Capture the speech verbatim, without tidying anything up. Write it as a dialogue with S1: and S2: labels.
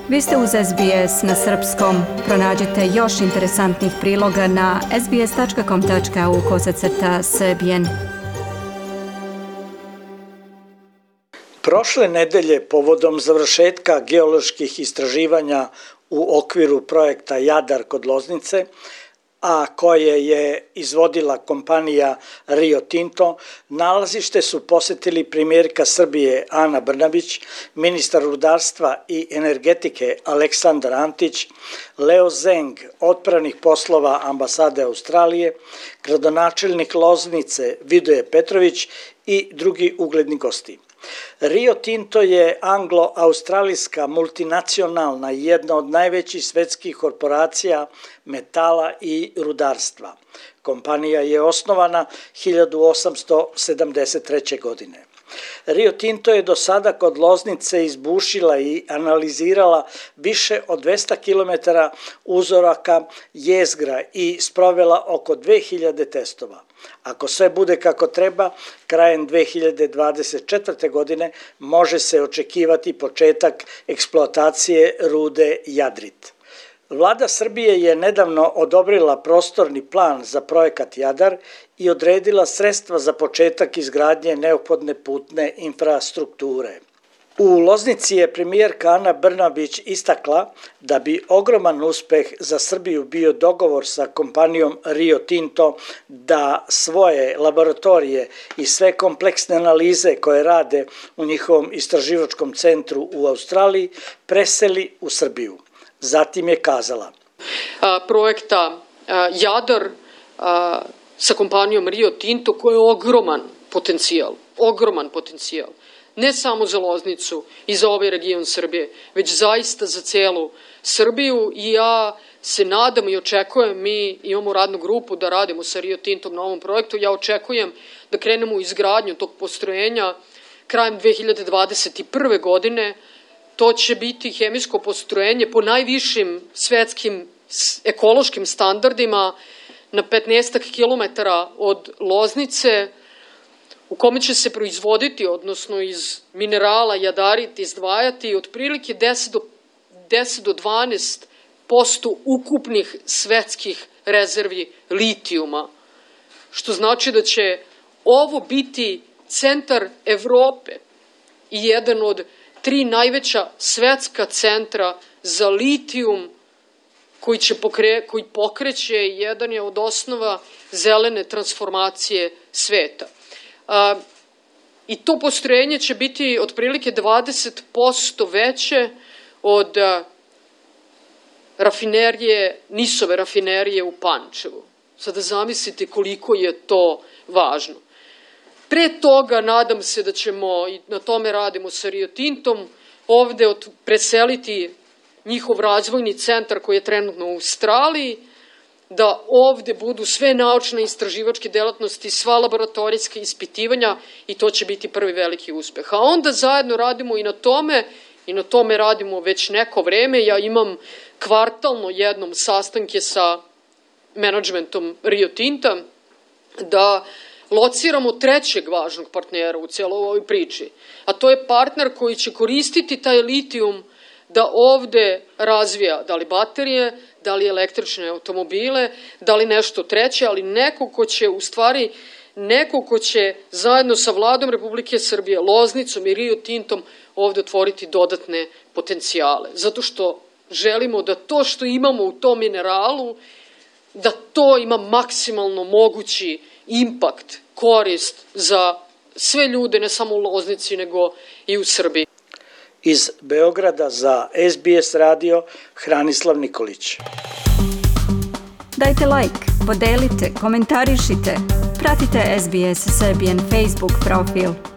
S1: Vi ste uz S B S na srpskom. Pronađite još interesantnih priloga na sbs.com tačka au kosacrta srbijen.
S2: Prošle nedelje, povodom završetka geoloških istraživanja u okviru projekta Jadar kod Loznice, a koje je izvodila kompanija Rio Tinto, nalazište su posetili premijerka Srbije Ana Brnabić, ministar rudarstva i energetike Aleksandar Antić, Leo Zeng, odpravnih poslova ambasade Australije, gradonačelnik Loznice Vidoje Petrović i drugi ugledni gosti. Rio Tinto je anglo-australijska multinacionalna i jedna od najvećih svetskih korporacija metala i rudarstva. Kompanija je osnovana hiljadu osamsto sedamdeset treće. godine. Rio Tinto je do sada kod Loznice izbušila i analizirala više od dvesta kilometara uzoraka jezgra i sprovela oko dve hiljade testova. Ako sve bude kako treba, krajem dve hiljade dvadeset četvrte. godine može se očekivati početak eksploatacije rude Jadrit. Vlada Srbije je nedavno odobrila prostorni plan za projekat Jadar i odredila sredstva za početak izgradnje neophodne putne infrastrukture. U Loznici je premijerka Ana Brnabić istakla da bi ogroman uspeh za Srbiju bio dogovor sa kompanijom Rio Tinto da svoje laboratorije i sve kompleksne analize koje rade u njihovom istraživačkom centru u Australiji preseli u Srbiju. Zatim je kazala:
S3: A, projekta a, Jadar a, sa kompanijom Rio Tinto koji je ogroman potencijal, ogroman potencijal. Ne samo za Loznicu i za ovaj region Srbije, već zaista za celu Srbiju i ja se nadam i očekujem, mi imamo radnu grupu da radimo sa Rio Tintom na ovom projektu, ja očekujem da krenemo u izgradnju tog postrojenja krajem dve hiljade dvadeset prve. godine. To će biti hemijsko postrojenje po najvišim svetskim ekološkim standardima na petnaestak kilometara od Loznice, u kome će se proizvoditi, odnosno iz minerala jadarit izdvajati otprilike deset do dvanaest posto ukupnih svetskih rezervi litijuma, što znači da će ovo biti centar Evrope i jedan od tri najveća svetska centra za litijum koji, će pokre, koji pokreće i jedan je od osnova zelene transformacije sveta. A, I to postrojenje će biti otprilike dvadeset posto veće od a, rafinerije, Nisove rafinerije u Pančevu. Sada zamislite koliko je to važno. Pre toga nadam se da ćemo, i na tome radimo sa Rio Tintom, ovde od, preseliti njihov razvojni centar koji je trenutno u Australiji, da ovde budu sve naučne istraživačke delatnosti, sva laboratorijska ispitivanja i to će biti prvi veliki uspeh. A onda zajedno radimo i na tome, i na tome radimo već neko vreme. Ja imam kvartalno jednom sastanke sa menadžmentom Rio Tinta da lociramo trećeg važnog partnera u cijeloj ovoj priči, a to je partner koji će koristiti taj litijum da ovde razvija da li baterije, da li električne automobile, da li nešto treće, ali neko ko će u stvari, neko ko će zajedno sa Vladom Republike Srbije, Loznicom i Rio Tintom ovde otvoriti dodatne potencijale. Zato što želimo da to što imamo u tom mineralu, da to ima maksimalno mogući impakt, korist za sve ljude, ne samo u Loznici, nego i u Srbiji.
S2: Iz Beograda za S B S radio, Hranislav Nikolić.
S1: Dajte like, podelite, komentarišite, pratite S B S Serbian Facebook profil.